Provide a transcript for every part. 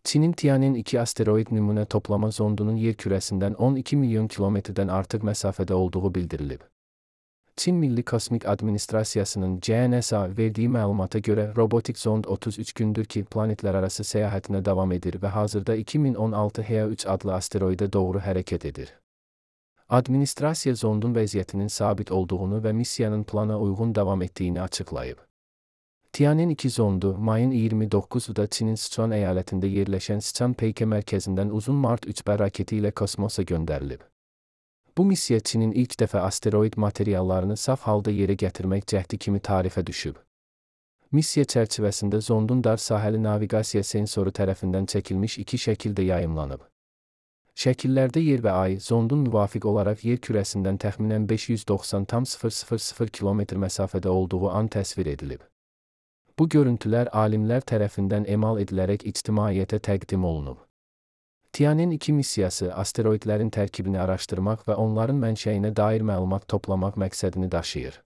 Çinin Tian'in-2 asteroid nümunə toplama zondunun yer kürəsindən 12 milyon kilometrdən artıq məsafədə olduğu bildirilib. Çin Milli Kosmik Administrasiyasının CNSA verdiyi məlumata görə robotik zond 33 gündür ki, planetlərarası səyahətinə davam edir və hazırda 2016 HEA-3 adlı asteroidə doğru hərəkət edir. Administrasiya zondun vəziyyətinin sabit olduğunu və missiyanın plana uyğun davam etdiyini açıqlayıb. Tian'in-2 zondu, mayın 29-da Çinin Sichuan əyalətində yerləşən Sichuan Peike mərkəzindən uzun Mart 3B raketi ilə kosmosa göndərilib. Bu missiya Çinin ilk dəfə asteroid materiallarını saf halda yerə gətirmək cəhdi kimi tarixə düşüb. Missiya çərçivəsində zondun dar sahəli naviqasiya sensoru tərəfindən çəkilmiş 2 şəkildə yayımlanıb. Şəkillərdə yer və ay, zondun müvafiq olaraq yer kürəsindən təxminən 590,000 km məsafədə olduğu an təsvir edilib. Bu görüntülər alimlər tərəfindən emal edilərək ictimaiyyətə təqdim olunub. Tian'in-2 missiyası asteroidlərin tərkibini araşdırmaq və onların mənşəyinə dair məlumat toplamaq məqsədini daşıyır.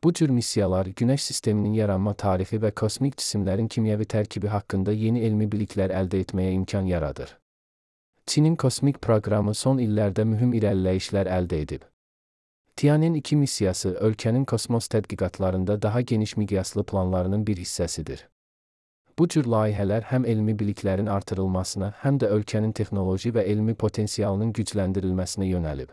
Bu cür missiyalar Günəş sisteminin yaranma tarixi və kosmik cisimlərin kimyəvi tərkibi haqqında yeni elmi biliklər əldə etməyə imkan yaradır. Çinin kosmik proqramı son illərdə mühüm irəliləyişlər əldə edib. Tian'in-2 missiyası ölkənin kosmos tədqiqatlarında daha geniş miqyaslı planlarının bir hissəsidir. Bu cür layihələr həm elmi biliklərin artırılmasına, həm də ölkənin texnoloji və elmi potensialının gücləndirilməsinə yönəlib.